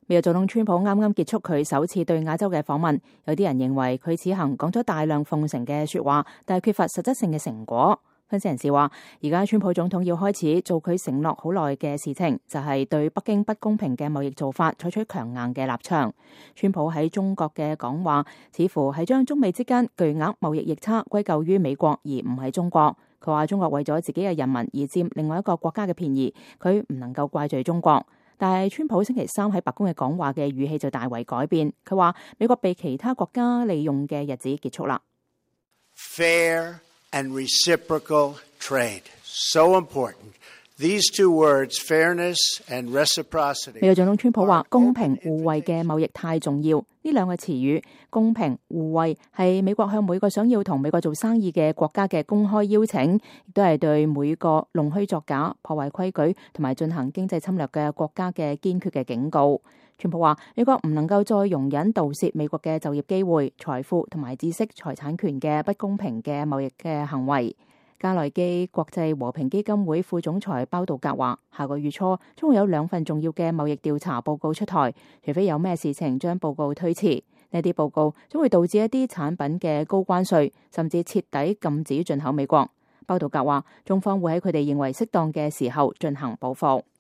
美國總統川普啱啱結束佢首次對亞洲嘅訪問，有啲人認為佢此行講咗大量奉承嘅說話，但係缺乏實質性嘅成果。分析人士話，而家川普總統要開始做佢承諾好耐嘅事情，就係對北京不公平嘅貿易做法採取強硬嘅立場。川普喺中國嘅講話，似乎係將中美之間巨額貿易逆差歸咎於美國，而唔係中國。佢話中國為咗自己嘅人民而佔另外一個國家嘅便宜，佢唔能夠怪罪中國。但係川普星期三喺白宮嘅講話嘅語氣就大為改變，佢話美國被其他國家利用嘅日子結束啦。Fair and reciprocal trade, so important. These two words, fairness and reciprocity. 美國總統川普話公平互惠嘅貿易太重要。呢兩個詞語，公平互惠，係美國向每個想要同美國做生意嘅國家嘅公開邀請，亦都係對每個弄虛作假、破壞規矩同埋進行經濟侵略嘅國家嘅堅決嘅警告。川普話美國唔能夠再容忍盜竊美國嘅就業機會、財富同埋知識財產權嘅不公平嘅貿易嘅行為。加內基國際和平基金會副總裁包道格話，下個月初將會有2份重要嘅貿易調查報告出台，除非有咩事情將報告推遲，呢啲報告將會導致一啲產品嘅高關稅，甚至徹底禁止進口美國。包道格話，中方會喺佢哋認為適當嘅時候進行報復。